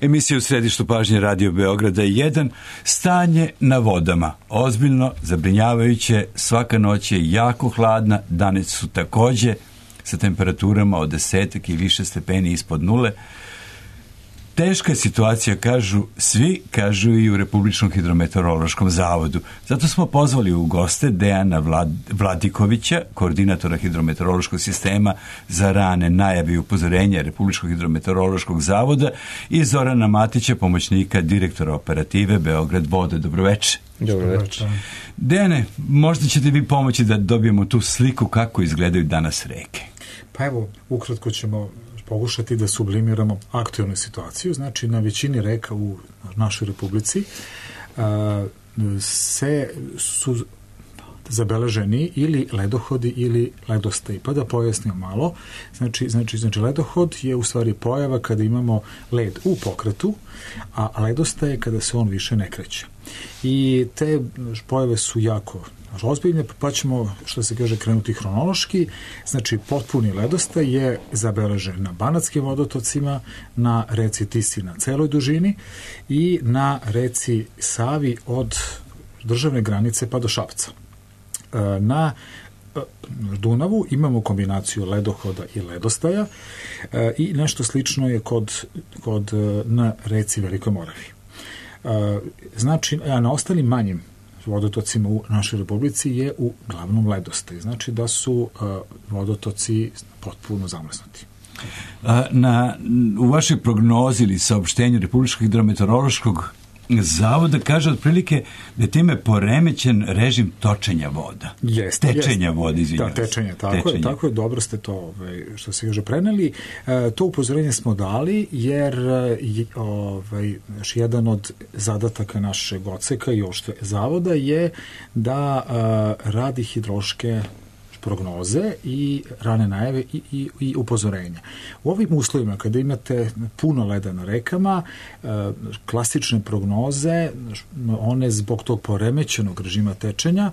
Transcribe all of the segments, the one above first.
Emisija u središtu pažnje Radio Beograda 1. Stanje na vodama. Ozbiljno, zabrinjavajuće, svaka noć je jako hladna, dane su takođe sa temperaturama od 10 i više stepeni ispod nule. Teška situacija, kažu svi, kažu i u Republičkom hidrometeorološkom zavodu. Zato smo pozvali u goste Dejana Vladikovića, koordinatora hidrometeorološkog sistema za rane najave i upozorenja Republičkog hidrometeorološkog zavoda, i Zorana Matića, pomoćnika direktora operative Beograd Voda. Dobroveče. Dobroveče. Dejane, možda ćete vi pomoći da dobijemo tu sliku kako izgledaju danas reke. Pa evo, ukratko ćemo pokušati da sublimiramo aktualnu situaciju. Znači, na većini reka u našoj republici su zabeleženi ili ledohodi ili ledostaji. Pa da pojasnimo malo. Znači, ledohod je u stvari pojava kada imamo led u pokretu, a ledostaje kada se on više ne kreće. I te pojave su jako ozbiljne, pa ćemo, što se kaže, krenuti hronološki. Znači, potpuni ledostaj je zabeležen na Banatskim vodotocima, na reci Tisi na celoj dužini i na reci Savi od državne granice pa do Šapca. Na Dunavu imamo kombinaciju ledohoda i ledostaja i nešto slično je na reci Velikoj Moravi. Znači, a na ostalim manjim vodotocima u našoj republici je uglavnom ledostaj. Znači da su vodotoci potpuno zamrznuti. U vašoj prognozi ili saopštenju Republičkog hidrometeorološkog zavoda kaže otprilike da je time poremećen režim točenja voda. Tečenja voda, izvinjavam se. Tečenja, tako je, dobro ste to, što se kaže, preneli. To upozorenje smo dali jer jedan od zadataka našeg odseka i ošte zavoda je da radi hidrološke prognoze i rane najave i upozorenja. U ovim uslovima, kada imate puno leda na rekama, klasične prognoze, one zbog tog poremećenog režima tečenja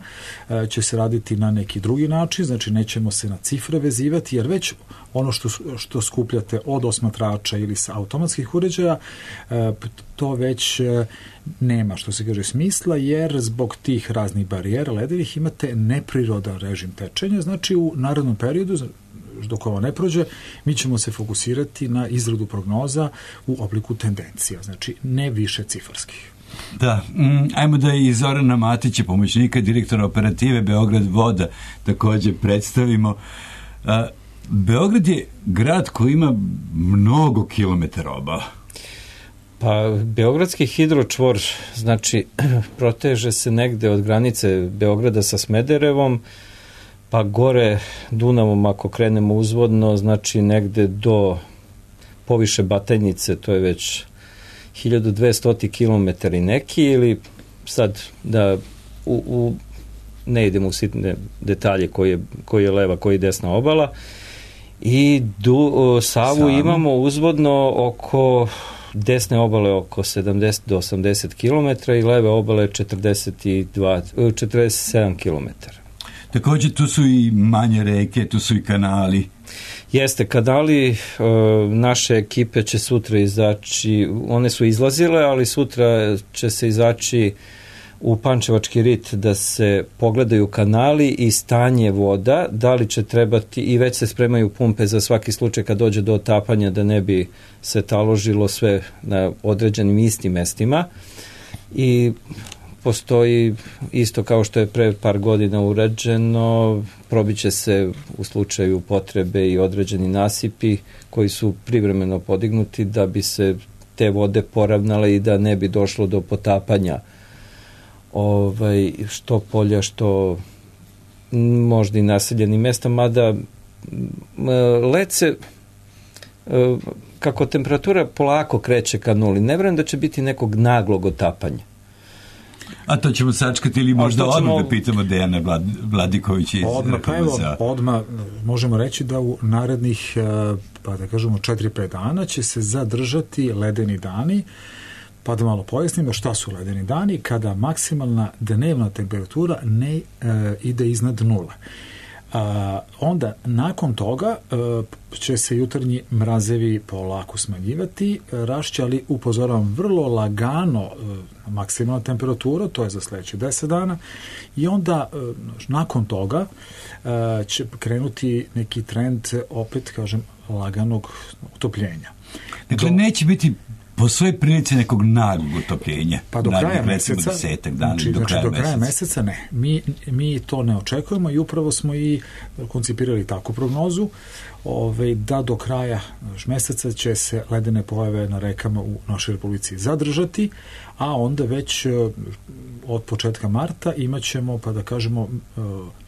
će se raditi na neki drugi način, znači nećemo se na cifre vezivati, jer već ono što skupljate od osmatrača ili sa automatskih uređaja, to već nema, što se kaže, smisla, jer zbog tih raznih barijera ledevih imate neprirodan režim tečenja. Znači, u narednom periodu, dok ovo ne prođe, mi ćemo se fokusirati na izradu prognoza u obliku tendencija, znači ne više cifarskih. Da, ajmo da i Zorana Matića, pomoćnika direktora operative Beograd Voda, takođe predstavimo. Beograd je grad koji ima mnogo kilometara obala. Pa, Beogradski hidročvor, znači, proteže se negde od granice Beograda sa Smederevom, pa gore Dunavom, ako krenemo uzvodno, znači negde do poviše Batajnice, to je već 1200 km i neki, ili sad da ne idemo u sitne detalje koji je leva, koji je desna obala, i Savu imamo uzvodno oko desne obale oko 70 do 80 km i leve obale 47 km. Takođe tu su i manje reke, tu su i kanali. Jeste, kanali naše ekipe će sutra izaći, one su izlazile, ali sutra će se izaći u Pančevački rit da se pogledaju kanali i stanje voda, da li će trebati, i već se spremaju pumpe za svaki slučaj kad dođe do otapanja, da ne bi se taložilo sve na određenim istim mestima, i postoji isto kao što je pre par godina urađeno, probiće se u slučaju potrebe i određeni nasipi koji su privremeno podignuti da bi se te vode poravnale i da ne bi došlo do potapanja što polja, što možda i naseljenih mesta, mada led se, kako temperatura polako kreće ka nuli, ne vjerujem da će biti nekog naglog otapanja. A to ćemo sačekati ili možda odmah da pitamo Dejana Vladikovića iz odmah možemo reći da u narednih, pa da kažemo 4-5 dana će se zadržati ledeni dani. Pa da malo pojasnimo šta su ledeni dani, kada maksimalna dnevna temperatura ne ide iznad nule. Onda, nakon toga, će se jutarnji mrazevi polako smanjivati, ali upozoravam vrlo lagano maksimalna temperatura, to je za sledeće 10 dana, i onda nakon toga će krenuti neki trend, opet kažem, laganog utopljenja. Dakle, neće biti po svojoj prilici nekog naglog utopljenja. Pa do kraja meseca, do kraja meseca ne. Mi to ne očekujemo i upravo smo i koncipirali takvu prognozu, da do kraja meseca će se ledene pojave na rekama u našoj Republici zadržati, a onda već od početka marta imaćemo, pa da kažemo,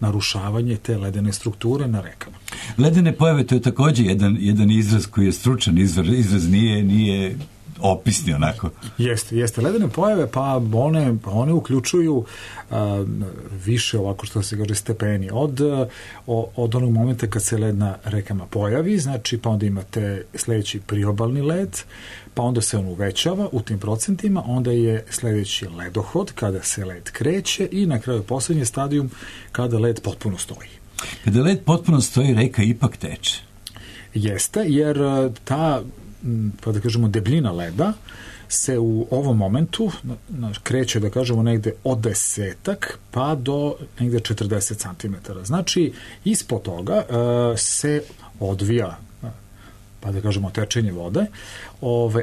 narušavanje te ledene strukture na rekama. Ledene pojave, to je takođe jedan izraz koji je stručan izraz, nije opisni onako. Jeste. Ledene pojave, pa one uključuju više, ovako što se kaže, stepeni. Od onog momenta kad se led na rekama pojavi, znači pa onda imate sledeći priobalni led, pa onda se on uvećava u tim procentima, onda je sledeći ledohod, kada se led kreće, i na kraju poslednji stadijum kada led potpuno stoji. Kada led potpuno stoji, reka ipak teče. Jeste, jer ta, pa da kažemo, debljina leda se u ovom momentu kreće, da kažemo, negde od 10 pa do negde 40 cm. Znači, ispod toga se odvija, pa da kažemo, tečenje vode,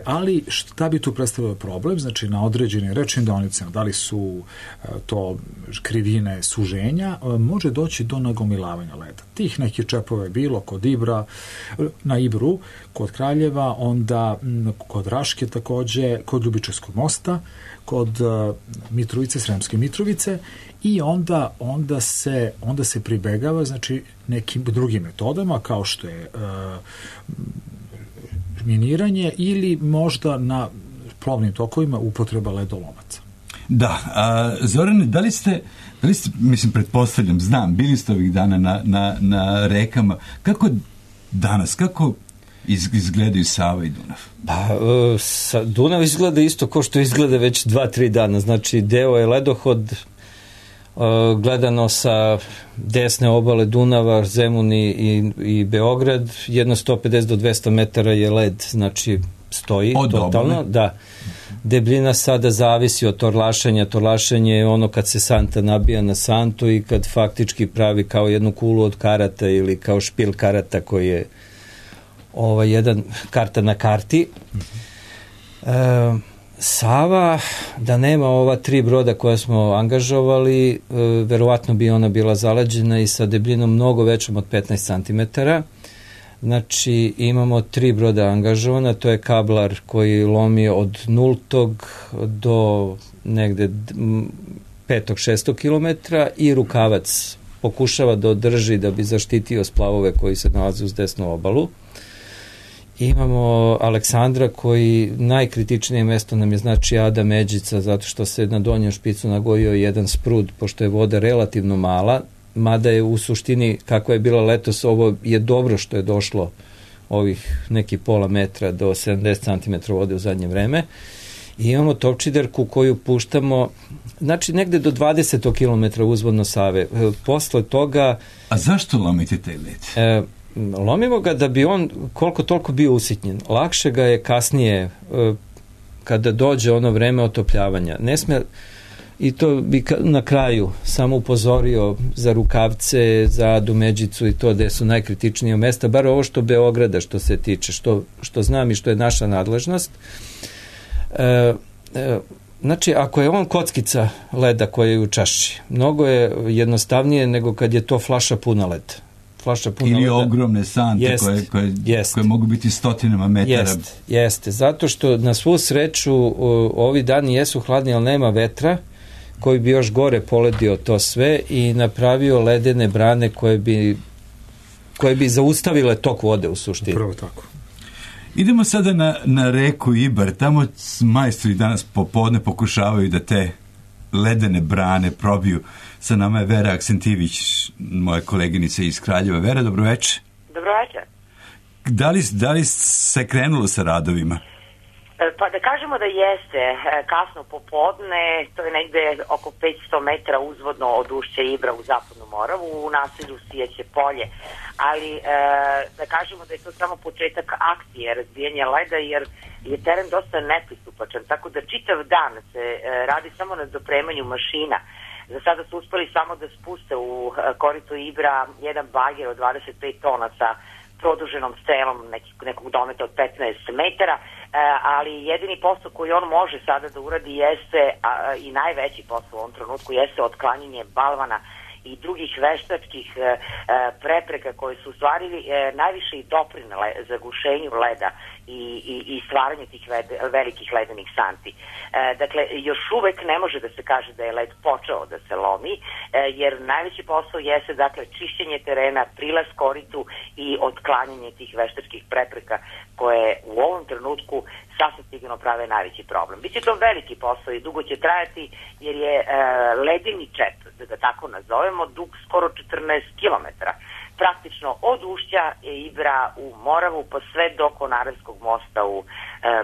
ali šta bi tu predstavljao problem? Znači, na određenim rečnim deonicama, da li su to krivine suženja, može doći do nagomilavanja leda. Tih nekih čepova je bilo kod Ibra, na Ibru, kod Kraljeva, onda kod Raške takođe, kod Ljubičevskog mosta, kod Mitrovice, Sremske Mitrovice, i onda se pribegava, znači, nekim drugim metodama, kao što je miniranje ili možda na plovnim tokovima upotreba ledolomaca. Da, Zorane, da li ste, mislim, pretpostavljam, znam, bili ste ovih dana na rekama, kako izgledaju Sava i Dunav? Dunav izgleda isto kao što izgleda već 2-3 dana, znači deo je ledohod, gledano sa desne obale Dunava, Zemun i Beograd, jedno 150 do 200 metara je led, znači stoji totalno. Da. Debljina sada zavisi od torlašenja. Torlašenje je ono kad se santa nabija na santu i kad faktički pravi kao jednu kulu od karata ili kao špil karata koji je jedan karta na karti. Sava, da nema ova 3 broda koja smo angažovali, verovatno bi ona bila zaleđena i sa debljinom mnogo većom od 15 cm. Znači, imamo 3 broda angažovana, to je kablar koji lomi od 0 do negde 5-6 km i rukavac pokušava da održi da bi zaštitio splavove koji se nalaze uz desnu obalu. Imamo Aleksandra koji najkritičnije mesto nam je, znači, Ada Međica, zato što se na donjem špicu nagojio jedan sprud, pošto je voda relativno mala, mada je u suštini, kakva je bila letos, ovo je dobro što je došlo ovih neki pola metra do 70 cm vode u zadnje vreme. I imamo Topčiderku koju puštamo, znači, negde do 20 km uzvodno Save. Posle toga... A zašto lomite taj led? Lomimo ga da bi on koliko toliko bio usitnjen. Lakše ga je kasnije, kada dođe ono vreme otopljavanja. Ne sme, i to bi na kraju samo upozorio za rukavce, za Adu Međicu i to gde su najkritičnije mesta, bar ovo što Beograda što se tiče, što znam i što je naša nadležnost. Znači, ako je on kockica leda koja je u čaši, mnogo je jednostavnije nego kad je to flaša puna leda. Ili ogromne sante koje mogu biti stotinama metara. Jeste, zato što na svu sreću ovi dani jesu hladni, ali nema vetra koji bi još gore poledio to sve i napravio ledene brane koje bi zaustavile tok vode u suštini. Prvo tako. Idemo sada na reku Ibar. Tamo majstori danas popodne pokušavaju da te ledene brane probiju. Sa nama je Vera Aksentivić, moja koleginica iz Kraljeva. Vera, dobroveče. Dobroveče. Da li se krenulo sa radovima? Pa da kažemo da jeste kasno popodne, to je negde oko 500 metara uzvodno od ušća Ibra u Zapadnu Moravu, u naselju Sijeće polje, ali da kažemo da je to samo početak akcije razbijanja leda, jer je teren dosta nepristupačan, tako da čitav dan se radi samo na dopremanju mašina. Za sada su uspeli samo da spuste u korito Ibra jedan bager od 25 tona sa produženom strelom nekog dometa od 15 metara, ali jedini posao koji on može sada da uradi jeste, i najveći posao u ovom trenutku, jeste otklanjanje balvana i drugih veštačkih prepreka koje su stvarili najviše i doprinele zagušenju leda i stvaranju tih velikih ledenih santi. Dakle, još uvek ne može da se kaže da je led počeo da se lomi, jer najveći posao jeste, dakle, čišćenje terena, prilaz koritu i otklanjanje tih veštačkih prepreka koje u ovom trenutku sasvim sigurno prave najveći problem. Biće to veliki posao i dugo će trajati, jer je ledeni čep, da ga tako nazovemo, dug skoro 14 kilometara. Praktično od ušća Ibra u Moravu pa sve do Konaravskog mosta u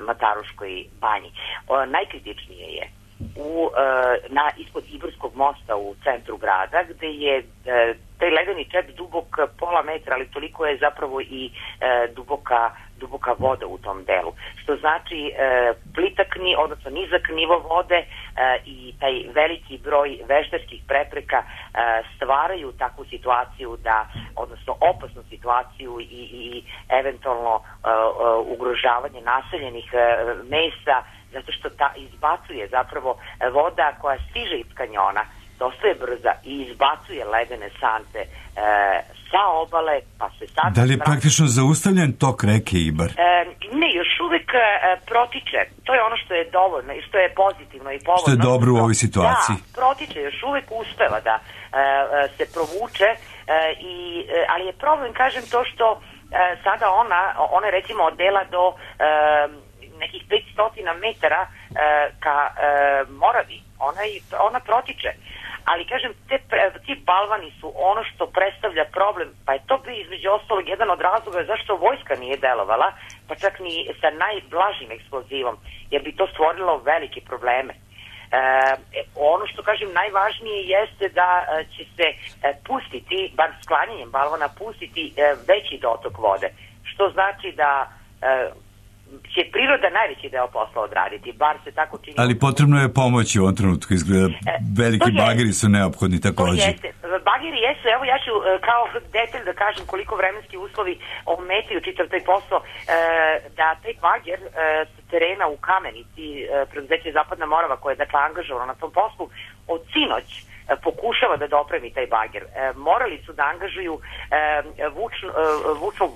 Mataruškoj banji. Najkritičnije je ispod Ibarskog mosta u centru grada, gde je taj ledeni čep dubok pola metra, ali toliko je zapravo i duboka voda u tom delu. Što znači odnosno nizak nivo vode i taj veliki broj veštačkih prepreka stvaraju takvu situaciju odnosno opasnu situaciju i eventualno ugrožavanje naseljenih mesta, zato što izbacuje zapravo voda koja stiže iz kanjona, dosta je brza i izbacuje ledene sante sa obale, pa se sad... Da li je praktično zaustavljen tok reke Ibar? Ne, još uvek protiče. To je ono što je dovoljno i što je pozitivno i povoljno. Što je dobro u ovoj situaciji. Da, protiče, još uvek uspeva da se provuče, ali je problem, kažem, to što sada ona recimo od dela do nekih 500 metara ka Moravi, ona protiče. Ali, kažem, ti balvani su ono što predstavlja problem, pa je to bio između ostalog jedan od razloga zašto vojska nije delovala, pa čak ni sa najblažim eksplozivom, jer bi to stvorilo velike probleme. Ono što, kažem, najvažnije jeste da će se pustiti, bar sklanjanjem balvana, pustiti veći dotok vode, što znači da će priroda najveći deo posla odraditi, bar se tako čini. Ali potrebno je pomoći u ovom trenutku, izgleda. Veliki bageri su neophodni takođe. Bageri jesu, evo ja ću kao detalj da kažem koliko vremenski uslovi ometaju čitav taj posao, da taj bager sa terena u Kamenici, preduzeće Zapadna Morava koje je dakle angažovano na tom poslu, od sinoć pokušava da dopremi taj bager. Morali su da angažuju vučnu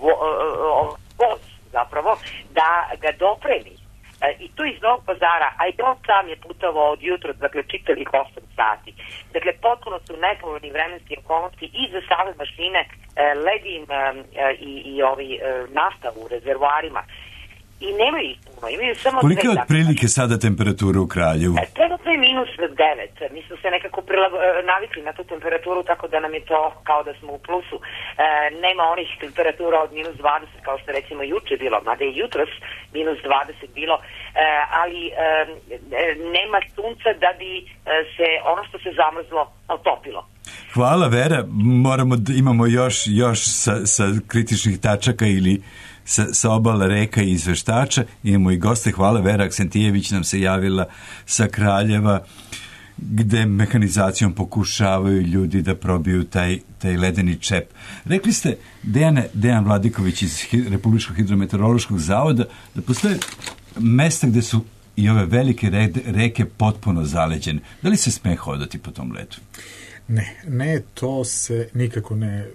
voz zapravo, da ga dopremi. I to iz Novog Pazara, a i on sam je putovao od jutra, dakle, čitavih 8 sati. Dakle, potpuno su nepovoljni vremenski okolnosti i za same mašine, ledin i nafta u rezervoarima. I nemaju ih puno, imaju samo... Kolika je otprilike sada temperatura u Kraljevu? Trenutno je -9. Mi smo se nekako navikli na tu temperaturu, tako da nam je to kao da smo u plusu. Nema onih temperatura od -20, kao što recimo juče bilo, mada je jutros -20 bilo, ali nema sunca da bi se ono što se zamrzlo otopilo. Hvala, Vera. Imamo još sa kritičnih tačaka ili sa obala reka i izveštača. Imamo i goste. Hvala, Vera Aksentijević nam se javila sa Kraljeva, gde mehanizacijom pokušavaju ljudi da probiju taj ledeni čep. Rekli ste, Dejan Vladiković iz Republičkog hidrometeorološkog zavoda, da postoje mesta gde su i ove velike reke potpuno zaleđene. Da li se sme hodati po tom ledu? Ne, to se nikako ne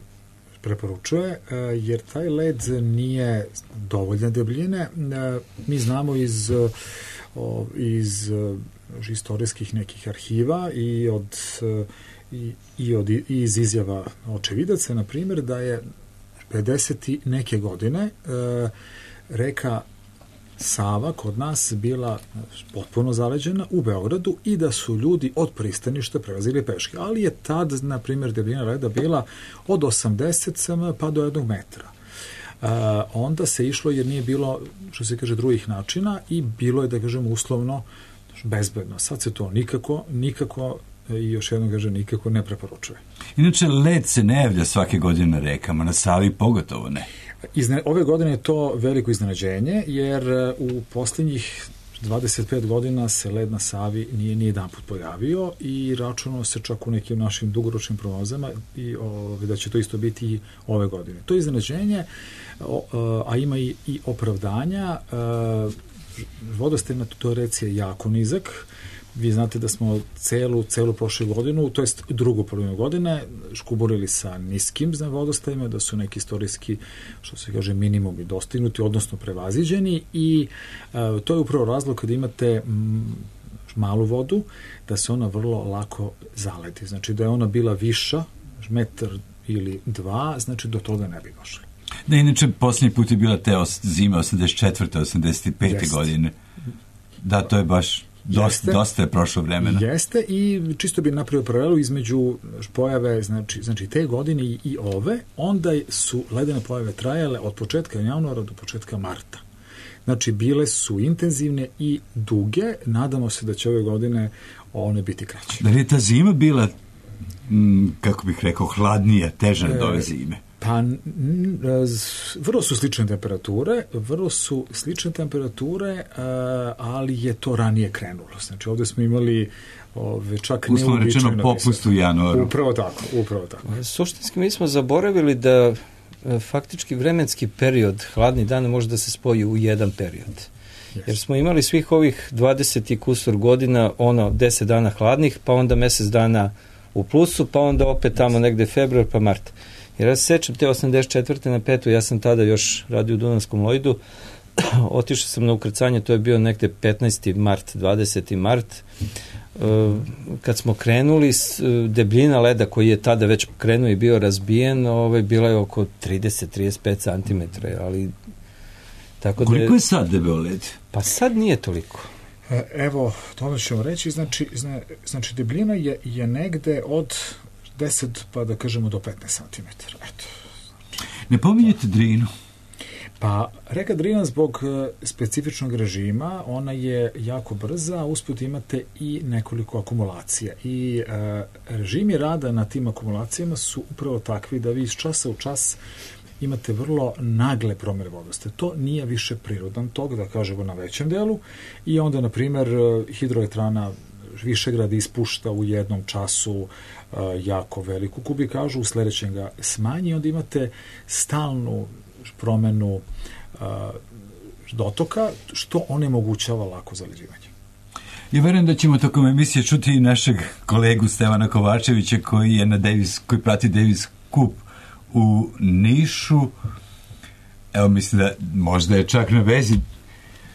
preporučuje, jer taj led nije dovoljne debljine. Mi znamo iz istorijskih nekih arhiva i iz izjava očevidaca, na primjer, da je 50 neke godine reka Sava kod nas bila potpuno zaleđena u Beogradu i da su ljudi od pristaništa prelazili peške. Ali je tad, na primjer, debljina leda bila od 80 cm pa do 1 metra. onda se išlo jer nije bilo, što se kaže, drugih načina i bilo je, da kažem, uslovno bezbedno. Sad se to nikako i još jednom kaže, nikako ne preporučuje. Inače, led se ne javlja svake godine na rekama, na Savi pogotovo ne. Ove godine je to veliko iznenađenje, jer u posljednjih 25 godina se led na Savi nije ni jedan put pojavio i računalo se čak u nekim našim dugoročnim prognozama i da će to isto biti i ove godine. To je iznenađenje, a ima i opravdanja. Vodostaj na Totoreci je jako nizak. Vi znate da smo celu prošlu godinu, to jest drugu polovinu godine, škuburili sa niskim vodostajima, da su neki istorijski, što se kaže, minimumi dostignuti, odnosno prevaziđeni i to je upravo razlog kada imate malu vodu, da se ona vrlo lako zaledi. Znači da je ona bila viša, metar ili dva, znači do toga ne bi došli. Da, inače, posljednji put je bila te zima 84. 85. godine. Da, to je baš dosta je prošlo vremena. Jeste i čisto bi napravio paralelu između pojave, znači te godine i ove, onda su ledene pojave trajale od početka januara do početka marta. Znači, bile su intenzivne i duge, nadamo se da će ove godine one biti kraće. Da li je ta zima bila, kako bih rekao, hladnija, teža od ove zime? Pa, vrlo su slične temperature, ali je to ranije krenulo. Znači, ovdje smo imali čak uslovno rečeno popust u januaru. Upravo tako. Suštinski mi smo zaboravili da faktički vremenski period hladni dana može da se spoji u jedan period. Jer smo imali svih ovih 20 i kusur godina 10 dana hladnih, pa onda mjesec dana u plusu, pa onda opet tamo negde februar pa mart. Jer ja se sećam te 84. na 5. ja sam tada još radio u Dunavskom Lojdu, otišao sam na ukrcanje, to je bio negde 15. mart, 20. mart, kad smo krenuli, debljina leda koji je tada već krenuo i bio razbijen, bila je oko 30-35 cm, ali tako da... Koliko je sad debeo led? Pa sad nije toliko. Evo, to ćemo reći, znači debljina je negde od 10 pa da kažemo do 15 cm. Eto. Ne pominjete Drinu? Pa, reka Drina zbog specifičnog režima, ona je jako brza, a usput imate i nekoliko akumulacija. I režimi rada na tim akumulacijama su upravo takvi da vi iz časa u čas imate vrlo nagle promjene vodostaja. To nije više prirodan tok, da kažemo, na većem delu. I onda, na primjer, hidroelektrana Višegrad ispušta u jednom času jako veliku kubikažu, u sljedećem ga smanji, onda imate stalnu promenu dotoka, što onemogućava lako zaleđivanje. Ja verujem da ćemo tokom emisije čuti i našeg kolegu Stevana Kovačevića koji prati Davis Cup u Nišu. Evo, mislim da možda je čak na vezi.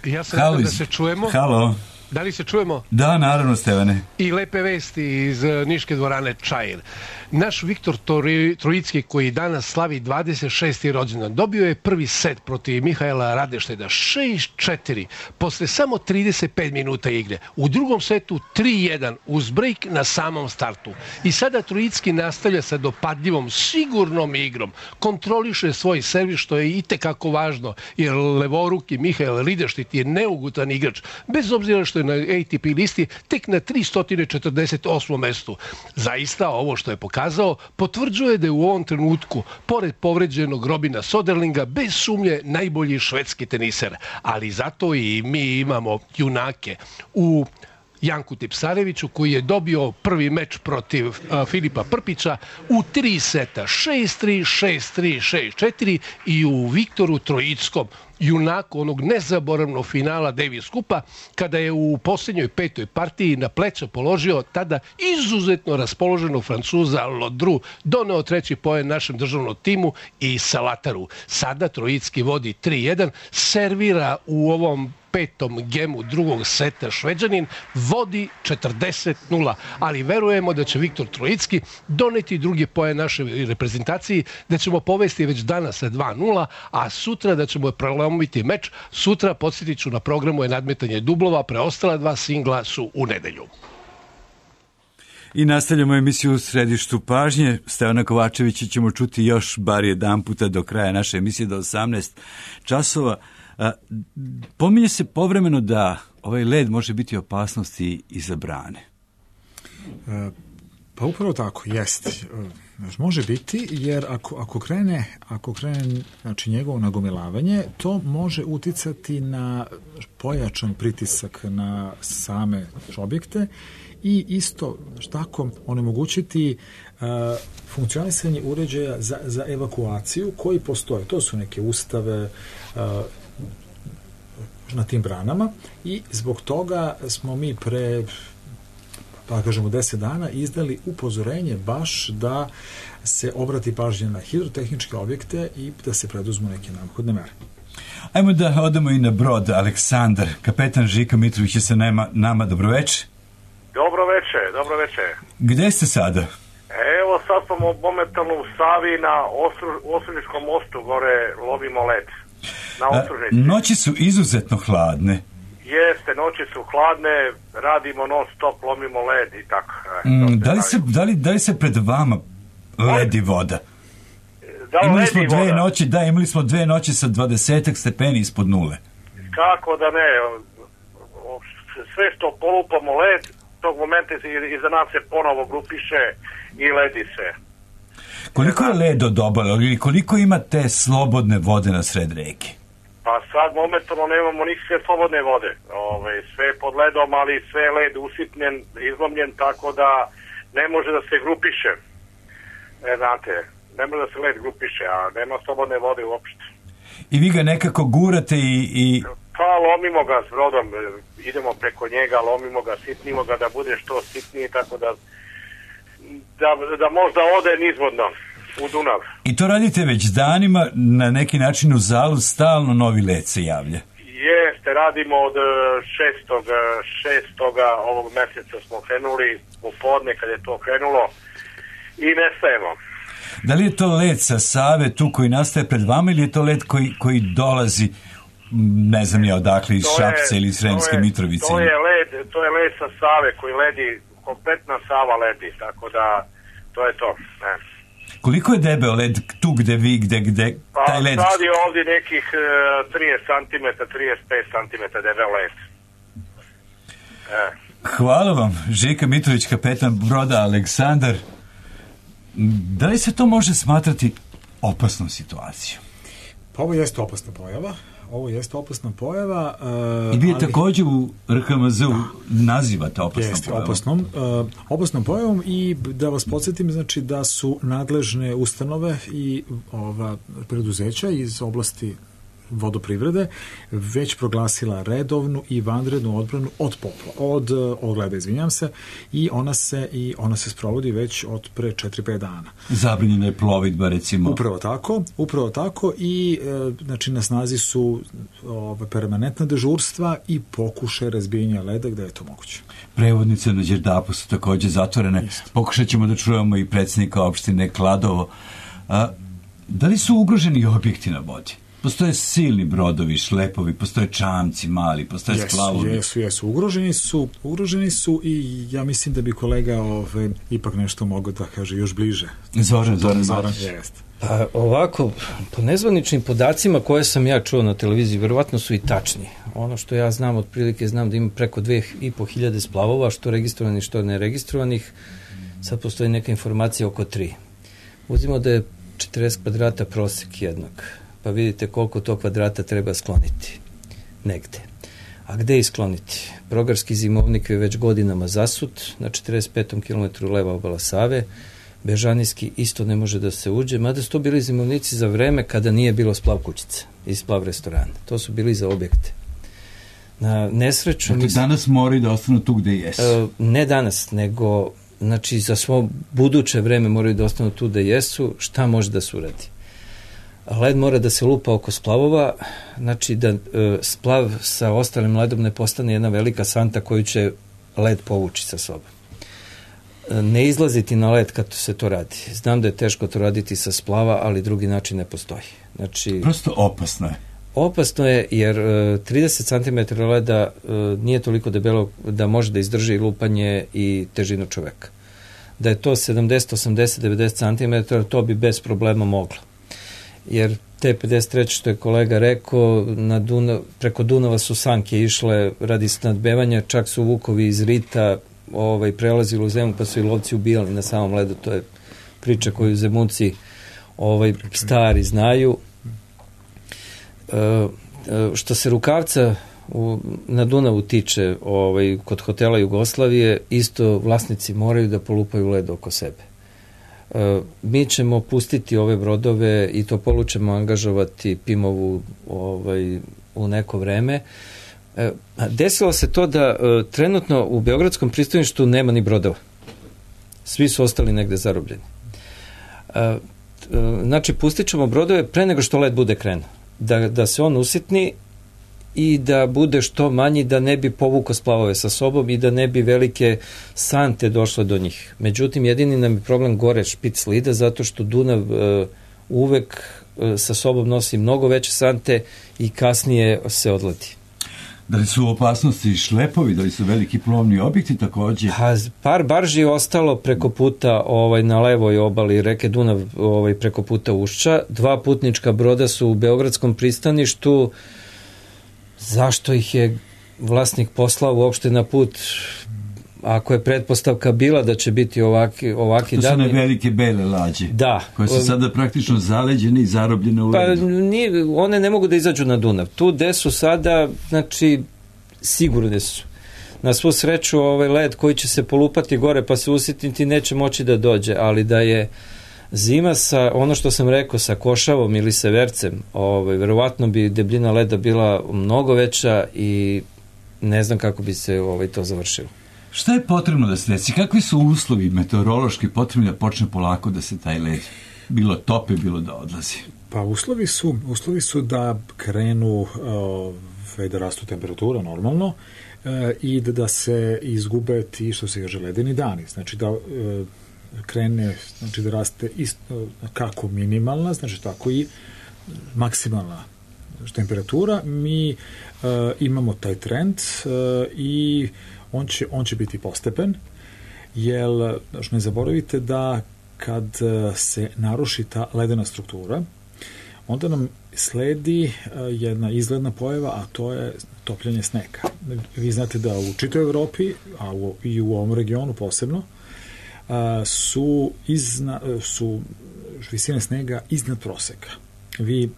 Ja sam da se čujemo. Halo. Da li se čujemo? Da, naravno, Stevane. I lepe vesti iz Niške dvorane Čair. Naš Viktor Trojicki, koji danas slavi 26. rođendan, dobio je prvi set protiv Mihaela Radešteda 6-4 posle samo 35 minuta igre. U drugom setu 3-1 uz break na samom startu. I sada Trojicki nastavlja sa dopadljivom, sigurnom igrom. Kontroliše svoj servis, što je itekako važno, jer levoruki Mihael Radešted je neugutan igrač, bez obzira što je na ATP listi tek na 348. mestu. Zaista, ovo što je pokazao potvrđuje da je u ovom trenutku, pored povređenog Robina Soderlinga, bez sumnje najbolji švedski teniser. Ali zato i mi imamo junake u Janku Tipsareviću, koji je dobio prvi meč protiv Filipa Prpića u 3 seta, 6-3, 6-3, 6-4, i u Viktoru Trojickom, junaku onog nezaboravnog finala Davis Cupa, kada je u posljednjoj 5. partiji na pleća položio tada izuzetno raspoloženog Francuza Lodru, doneo 3. poen našem državnom timu i Salataru. Sada Trojicki vodi 3-1, servira u ovom 5. gemu drugog seta Šveđanin, vodi 40-0, ali verujemo da će Viktor Trojicki doneti drugi poen našoj reprezentaciji, da ćemo povesti već danas sa 2-0, a sutra da ćemo prelomiti meč. Sutra, podsjetit ću, na programu je nadmetanje dublova, preostala 2 singla su u nedelju. I nastavljamo emisiju u središtu pažnje. Stevana Kovačevića ćemo čuti još bar jedan puta do kraja naše emisije do 18 časova. Pominje se povremeno da ovaj led može biti opasnosti i za brane. Pa upravo tako, jest. Može biti, jer ako krene znači njegovo nagomilavanje, to može uticati na pojačan pritisak na same objekte i isto tako onemogućiti funkcionisanje uređaja za evakuaciju koji postoje. To su neke ustave na tim branama i zbog toga smo mi pre pa kažemo 10 dana izdali upozorenje baš da se obrati pažnja na hidrotehničke objekte i da se preduzmu neke neophodne mere. Ajmo da odemo i na brod. Aleksandar, kapetan Žika Mitrović je sa nama. Dobroveče. Dobroveče. Gde ste sada? Evo sad smo momentalno u Savi na Osružničkom mostu, gore lovimo led. Na Osružnici. Noći su izuzetno hladne. Jeste, noći su hladne, radimo non stop, lomimo led i tako. Da li se pred vama ledi voda? Imali smo 2 noći sa 20 stepeni ispod nule. Kako da ne, sve što polupamo led, tog momenta iza nas se ponovo grupiše i ledi se. Koliko je led od obale ili koliko ima te slobodne vode na sred reke? Pa sad momentalno nemamo nikakve slobodne vode. Sve je pod ledom, ali sve je led usitnjen, izlomljen, tako da ne može da se grupiše. Znate, ne može da se led grupiše, a nema slobodne vode uopšte. I vi ga nekako gurate i... Pa lomimo ga s brodom, idemo preko njega, lomimo ga, sitnimo ga da bude što sitniji, tako da možda ode nizvodno u Dunav. I to radite već danima, na neki način u Zalu stalno novi led se javlja. Jeste, radimo od 6. ovog meseca smo krenuli, popodne kad je to krenulo i ne stajemo. Da li je to led sa Save tu koji nastaje pred vama ili je to led koji dolazi, ne znam ja odakle, iz Šapca ili iz Sremske Mitrovice? To je led sa Save koji ledi, kompletna Sava ledi, tako da to je to. Ne. Koliko je debeo led tu gde taj led? Pa sad je ovdje nekih 30 cm, 35 cm debeo led. Hvala vam, Žika Mitrović, kapetan broda Aleksandar. Da li se to može smatrati opasnom situacijom? Pa ovo jeste opasna pojava. I vi također u RHMZ-u nazivate opasnom pojavom i da vas podsjetim, znači da su nadležne ustanove i preduzeća iz oblasti vodoprivrede već proglasila redovnu i vanrednu odbranu od leda, i ona se sprovodi već od pre 4-5 dana. Zabranjena je plovidba, recimo. Upravo tako i znači na snazi su permanentna dežurstva i pokušaj razbijenja leda gde je to moguće. Prevodnice na Đerdapu su također zatvorene. Pokušat ćemo da čujemo i predsjednika opštine Kladovo. Da li su ugroženi objekti na vodi? Postoje silni brodovi, šlepovi, postoje čamci mali, postoje splavovi. Jesu. Ugroženi su i ja mislim da bi kolega ipak nešto mogao da kaže još bliže. Zoran. Jeste. Pa ovako, po nezvaničnim podacima koje sam ja čuo na televiziji, verovatno su i tačni. Ono što ja znam, otprilike znam da ima preko 2500 splavova, što registrovanih, što neregistrovanih. Sad postoji neka informacija oko 3. Uzimo da je 40 kvadrata prosek jednog. Pa vidite koliko to kvadrata treba skloniti negde. A gde iskloniti? Progarski zimovnik je već godinama zasut, na 45. kilometru leva obala Save, Bežanijski isto ne može da se uđe, mada su to bili zimovnici za vreme kada nije bilo splav kućice i splav restorana. To su bili za objekte. Na nesreću... Dakle, danas moraju da ostanu tu gde jesu? Ne danas, nego znači za svo buduće vreme moraju da ostanu tu gde jesu. Šta može da se uradi? Led mora da se lupa oko splavova, znači da splav sa ostalim ledom ne postane jedna velika santa koju će led povući sa sobom. Ne izlaziti na led kad se to radi. Znam da je teško to raditi sa splava, ali drugi način ne postoji. Znači, prosto opasno je. Opasno je jer 30 cm leda nije toliko debelo da može da izdrži lupanje i težinu čoveka. da je to 70, 80, 90 cm, to bi bez problema moglo. Jer te 53. što je kolega rekao, preko Dunava su sanke išle radi snadbevanja, čak su vukovi iz Rita prelazili u Zemun, pa su i lovci ubijali na samom ledu. To je priča koju Zemunci stari znaju. Što se Rukavca na Dunavu tiče, kod hotela Jugoslavije, isto vlasnici moraju da polupaju led oko sebe. Mi ćemo pustiti ove brodove i to ćemo angažovati Pimovu u neko vreme. Desilo se to da trenutno u Beogradskom pristaništu nema ni brodova. Svi su ostali negde zarobljeni. Znači, pustit ćemo brodove pre nego što led bude krenuo. Da se on usitni i da bude što manji, da ne bi povukao splavove sa sobom i da ne bi velike sante došle do njih. Međutim, jedini nam je problem gore špic slida, zato što Dunav uvek sa sobom nosi mnogo veće sante i kasnije se odleti. Da li su u opasnosti šlepovi, da li su veliki plovni objekti takođe? Par barži je ostalo preko puta na levoj obali reke Dunav, preko puta Ušća. 2 putnička broda su u Beogradskom pristaništu. Zašto ih je vlasnik poslao uopšte na put, ako je pretpostavka bila da će biti ovaki to dani? To su velike bele lađe, da, koje su sada praktično zaleđene i zarobljene u ledu. Pa one ne mogu da izađu na Dunav. Tu gde su sada, znači, sigurne su. Na svu sreću, led koji će se polupati gore pa se usitniti neće moći da dođe, ali da je zima sa, ono što sam rekao, sa košavom ili severcem, verovatno bi debljina leda bila mnogo veća i ne znam kako bi se to završilo. Šta je potrebno da se desi? Kakvi su uslovi meteorološki potrebni da počne polako da se taj led bilo tope, bilo da odlazi? Pa uslovi su da krenu da rastu temperatura normalno i da se izgube ti, što se kaže, ledeni dani. Znači da krene, znači da raste isto kako minimalna, znači tako i maksimalna temperatura. Mi imamo taj trend i on će biti postepen, jer ne zaboravite da kad se naruši ta ledena struktura, onda nam sledi jedna izgledna pojava, a to je topljenje snega. Vi znate da u čitoj Evropi, a i u ovom regionu posebno, su visine snega iznad proseka. Vi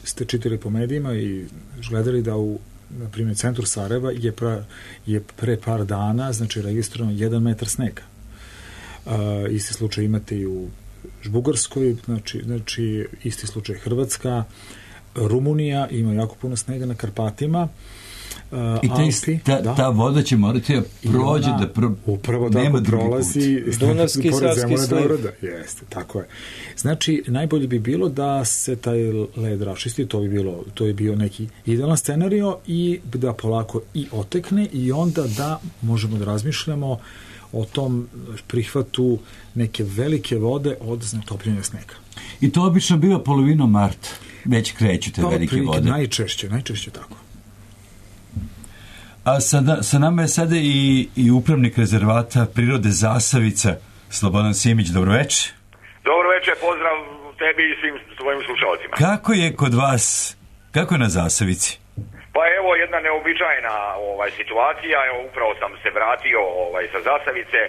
ste čitali po medijima i gledali da na primjer, centru Sarajeva je pre par dana, znači, registrovano 1 metar snega. Isti slučaj imate i u Bugarskoj, znači isti slučaj Hrvatska, Rumunija ima jako puno snega na Karpatima. I ta voda će morati da prođe, upravo tako prolazi Dunavski i Savski sliv. Jeste, tako je. Znači, najbolje bi bilo da se taj led raščisti, to je bio neki idealan scenario i da polako i otekne i onda da možemo da razmišljamo o tom prihvatu neke velike vode od topljenja snega. I to obično biva polovinom marta, već kreću te velike vode. Najčešće tako. A sa nama je sada i upravnik rezervata prirode Zasavica, Slobodan Simić. Dobroveče. Dobroveče, pozdrav tebi i svim svojim slušalcima. Kako je kod vas, kako je na Zasavici? Pa evo jedna neobičajna situacija, evo upravo sam se vratio sa Zasavice,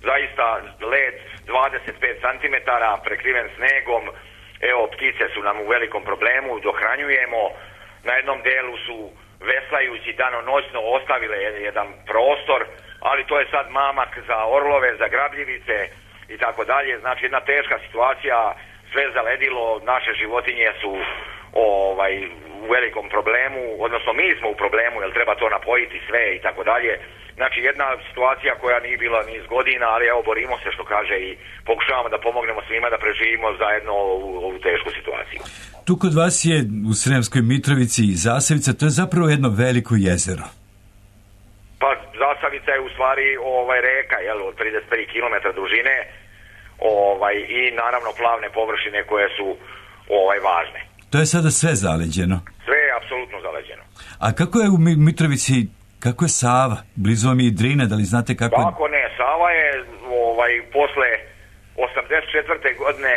zaista led 25 cm prekriven snegom, evo ptice su nam u velikom problemu, dohranjujemo, na jednom delu su veslajući danonoćno ostavile jedan prostor, ali to je sad mamak za orlove, za grabljivice i tako dalje. Znači jedna teška situacija, sve zaledilo, naše životinje su u velikom problemu, odnosno mi smo u problemu jer treba to napojiti sve i tako dalje. Znači jedna situacija koja nije bila niz godina, ali evo borimo se, što kaže, i pokušavamo da pomognemo svima da preživimo zajedno ovu tešku situaciju. Tu kod vas je u Sremskoj Mitrovici i Zasavica, to je zapravo jedno veliko jezero. Pa Zasavica je u stvari reka, od 33 km dužine i naravno plavne površine koje su važne. To je sada sve zaleđeno? Sve je apsolutno zaleđeno. A kako je u Mitrovici, kako je Sava? Blizu vam je i Drina, da li znate kako je? Kako ne, Sava je posle 84. godine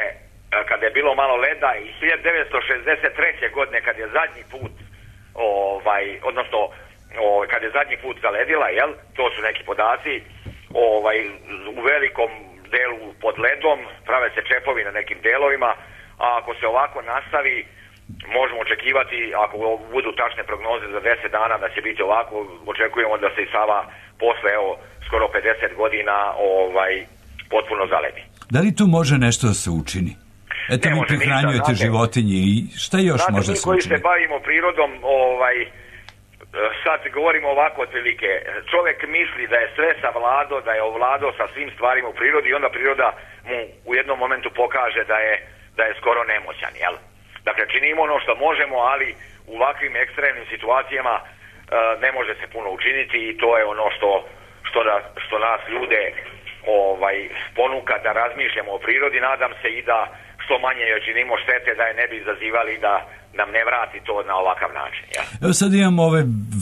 kada je bilo malo leda i 1963. godine kad je zadnji put kad je zadnji put zaledila, jel? To su neki podaci, u velikom delu pod ledom, prave se čepovi na nekim delovima, a ako se ovako nastavi, možemo očekivati, ako budu tačne prognoze za 10 dana da će biti ovako, očekujemo da se i Sava posle, skoro 50 godina potpuno zaledi. Da li tu može nešto da se učini? Eto, vi prihranjujete životinje i šta još može se učiniti? Koji se bavimo prirodom, sad govorimo ovako otprilike, čovjek misli da je sve savladao, da je ovladao sa svim stvarima u prirodi i onda priroda mu u jednom momentu pokaže da je skoro nemoćan, jel? Dakle, činimo ono što možemo, ali u ovakvim ekstremnim situacijama ne može se puno učiniti i to je ono što nas ljude ponuka da razmišljamo o prirodi. Nadam se i da što manje joj činimo štete, da je ne bi izazivali da nam ne vrati to na ovakav način. Ja. Evo sad imamo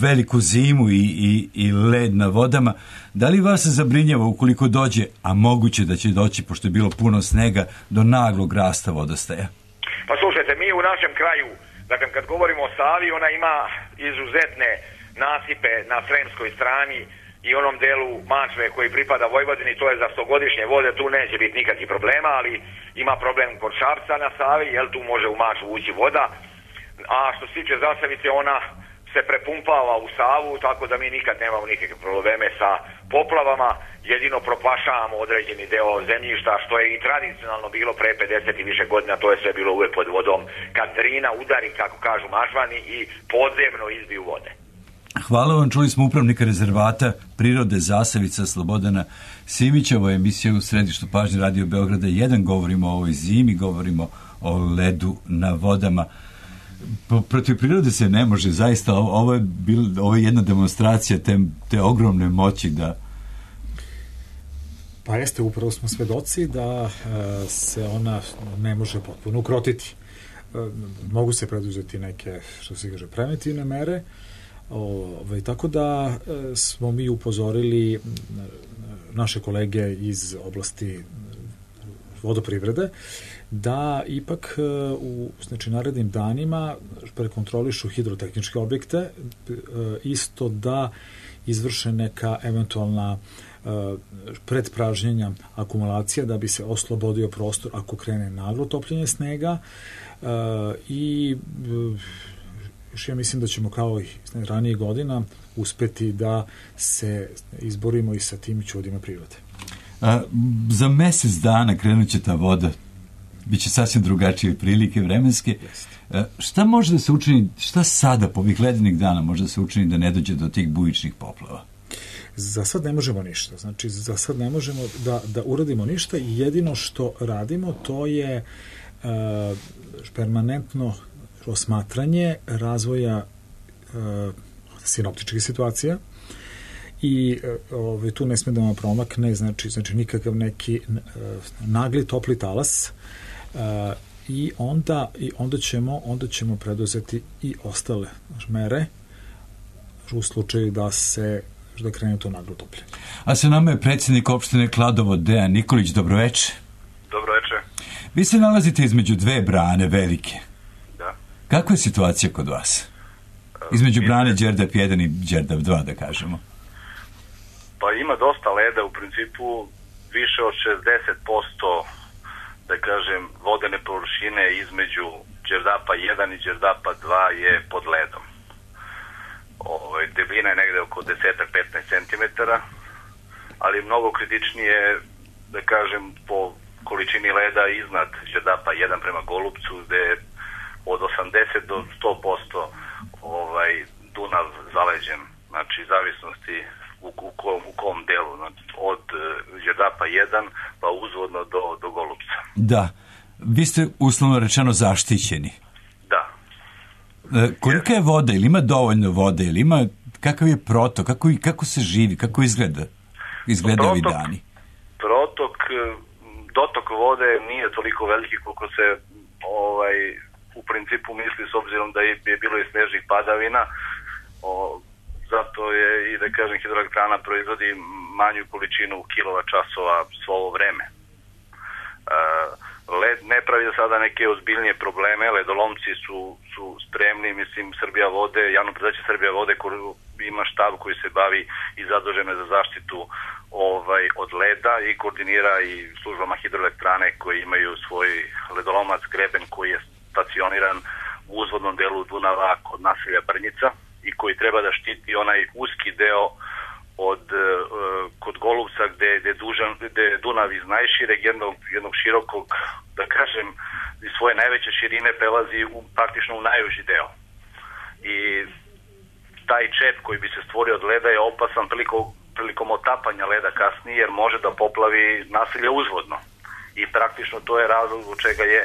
veliku zimu i led na vodama. Da li vas zabrinjava ukoliko dođe, a moguće da će doći, pošto je bilo puno snega, do naglog rasta vodostaja? Pa slušajte, mi u našem kraju, dakle, kad govorimo o Savi, ona ima izuzetne nasipe na sremskoj strani i onom delu Mačve koji pripada Vojvodini, to je za 100-godišnje vode, tu neće biti nikakvih problema, ali ima problem kod Šapca na Savi, jel tu može u Mačvu ući voda, a što se tiče Zasavice, ona se prepumpava u Savu, tako da mi nikad nemamo nikakve probleme sa poplavama, jedino propašavamo određeni deo zemljišta, što je i tradicionalno bilo pre 50 i više godina, to je sve bilo uvek pod vodom, kad Drina udari, kako kažu Mačvani, i podzemno izbiju vode. Hvala vam, čuli smo upravnika rezervata prirode Zasavica Slobodana Simića. Ovo je emisija u središtu pažnje Radio Beograda 1. Govorimo o ovoj zimi, govorimo o ledu na vodama. Protiv prirode se ne može, zaista. Ovo je jedna demonstracija te ogromne moći da... Pa jeste, upravo smo svedoci da se ona ne može potpuno ukrotiti. Mogu se preduzeti neke, što se kaže, preventivne mere, tako da smo mi upozorili naše kolege iz oblasti vodoprivrede da ipak u narednim danima prekontrolišu hidrotehničke objekte, isto da izvrše neka eventualna predpražnjenja akumulacija da bi se oslobodio prostor ako krene naglo topljenje snega i ja mislim da ćemo kao i ranije godina uspeti da se izborimo i sa tim čudima prirode. Za mesec dana krenut će ta voda, bit će sasvim drugačije prilike vremenske. Šta može da se učini, šta sada po ovih ledenih dana može da se učini da ne dođe do tih bujičnih poplava? Za sad ne možemo ništa. Znači, za sad ne možemo da uradimo ništa i jedino što radimo to je permanentno osmatranje razvoja sinoptičkih situacija i tu ne sme da vam promakne znači nikakav neki nagli topli talas i onda ćemo preduzeti i ostale mere u slučaju da krene to naglo toplje. A sa nama je predsjednik opštine Kladovo Dejan Nikolić. Dobroveče. Dobroveče. Vi se nalazite između dve brane velike. Da. Kakva je situacija kod vas? Između brane Đerdap 1 i Đerdap 2, da kažemo. Pa ima dosta leda, u principu više od 60%, da kažem, vodene površine između Đerdapa 1 i Đerdapa 2 je pod ledom. Debljina je negde oko 10-15 cm, ali mnogo kritičnije, da kažem, po količini leda iznad Đerdapa 1 prema Golupcu, gde je od 80 do 100% Dunav zaleđen, znači zavisnosti u kom delu, znači, od Đerdapa 1 pa uzvodno do Golupca. Da, vi ste uslovno rečeno zaštićeni. Da. Kolika je voda, ili ima dovoljno vode, ili ima, kakav je protok, kako se živi, kako izgleda ovi dani? Dotok vode nije toliko veliki koliko se u principu misli, s obzirom da je bilo i snežnih padavina, zato je i, da kažem, hidroelektrana proizvodi manju količinu kilovat-časova svo ovo vreme. Led ne pravi za sada neke ozbiljnije probleme, ledolomci su spremni, mislim, Srbija vode, javno preduzeće Srbija vode ima štab koji se bavi i zadužen za zaštitu od leda i koordinira i službama hidroelektrane koji imaju svoj ledolomac Greben koji je stacioniran u uzvodnom delu Dunava kod naselja Brnjica i koji treba da štiti onaj uski deo kod Golubca gde je Dunav iz najšireg jednog širokog, da kažem, iz svoje najveće širine prelazi praktično u najuži deo. I taj čep koji bi se stvorio od leda je opasan prilikom otapanja leda kasnije jer može da poplavi naselje uzvodno. I praktično to je razlog zbog čega je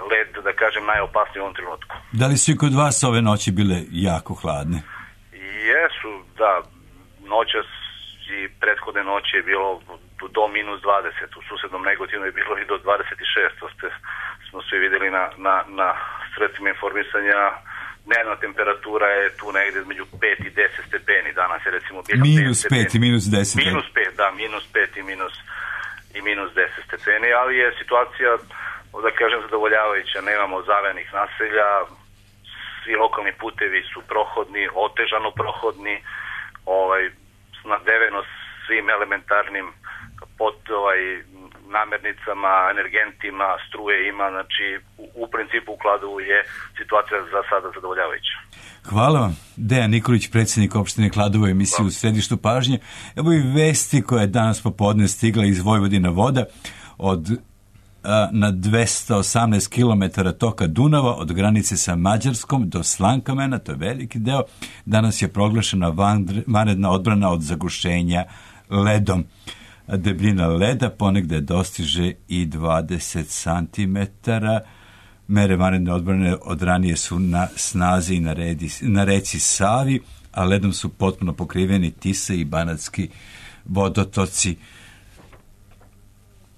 led, da kažem, najopasniji u ovom trenutku. Da li su i kod vas ove noći bile jako hladne? Jesu, da. Noćas i prethodne noći je bilo do minus 20, u susednom Negotinu je bilo i do 26, to smo svi videli na sredstvima informisanja. Dnevna temperatura je tu negde između 5 i 10 stepeni, danas je recimo bilo minus 5 i minus 10. Minus 5, da, minus 5 i minus 10 stepeni, ali je situacija, da kažem, zadovoljavajuća, nemamo zavejanih naselja, svi lokalni putevi su prohodni, otežano prohodni, snabdeveno svim elementarnim namirnicama, energentima, struje ima, znači u principu u Kladovu je situacija za sada zadovoljavajuća. Hvala vam. Dejan Nikolić, predsjednik opštine Kladovo, emisiju U središtu pažnje. Evo i vesti koja je danas popodne stigla iz Vojvodina voda na 218 km toka Dunava od granice sa Mađarskom do Slankamena, to je veliki deo. Danas je proglašena vanredna odbrana od zagušenja ledom. Debljina leda ponegde dostiže i 20 cm. Mere vanredne odbrane od ranije su na snazi i na reci Savi, a ledom su potpuno pokriveni Tisa i banatski vodotoci.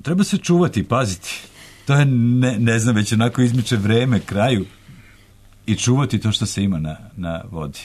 Treba se čuvati, paziti. To je, ne znam, već onako izmiče vreme kraju i čuvati to što se ima na vodi.